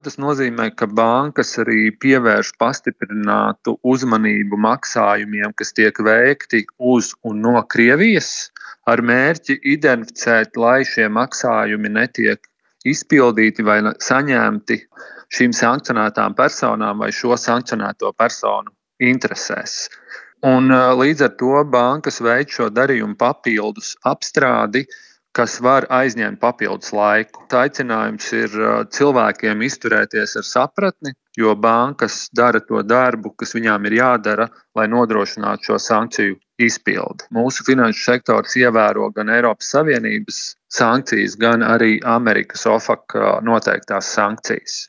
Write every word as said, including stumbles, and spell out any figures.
Tas nozīmē, ka bankas arī pievērš pastiprinātu uzmanību maksājumiem, kas tiek veikti uz un no Krievijas, ar mērķi identificēt, lai šie maksājumi netiek izpildīti vai saņemti šīm sankcionētām personām vai šo sankcionēto personu interesēs. Un, līdz ar to bankas veic šo darījumu papildus apstrādi, kas var aizņemt papildus laiku. Aicinājums ir cilvēkiem izturēties ar sapratni, jo bankas dara to darbu, kas viņām ir jādara, lai nodrošinātu šo sankciju izpildi. Mūsu finanšu sektors ievēro gan Eiropas Savienības sankcijas, gan arī Amerikas O F A C noteiktās sankcijas.